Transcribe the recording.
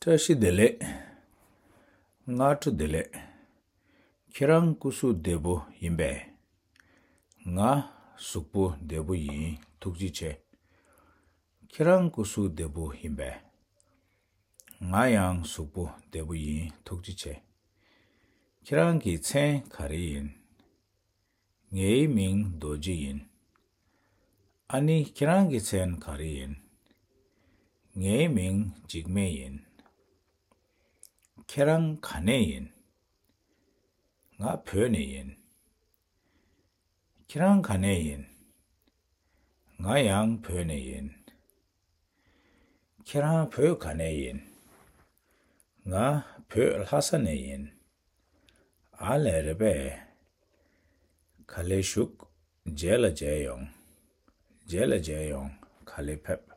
Tashi dele, ngatu dele, kirang kusu debo yinbe, nga sukpo debo yin tukji che, kirang kusu debo yinbe, nga yang sukpo debo yin tukji che, kirang ki tsen kari yin, ngei ming doji yin, ani kirang ki tsen kari yin, ngei ming jigme yin, kirang kane yin, nga pyo ne yin, kirang kane yin, nga yang pyo ne yin, kirang pyo kane yin, nga pyo lhasa ne yin, ale rebe, kale shuk jela jayong, kale pep.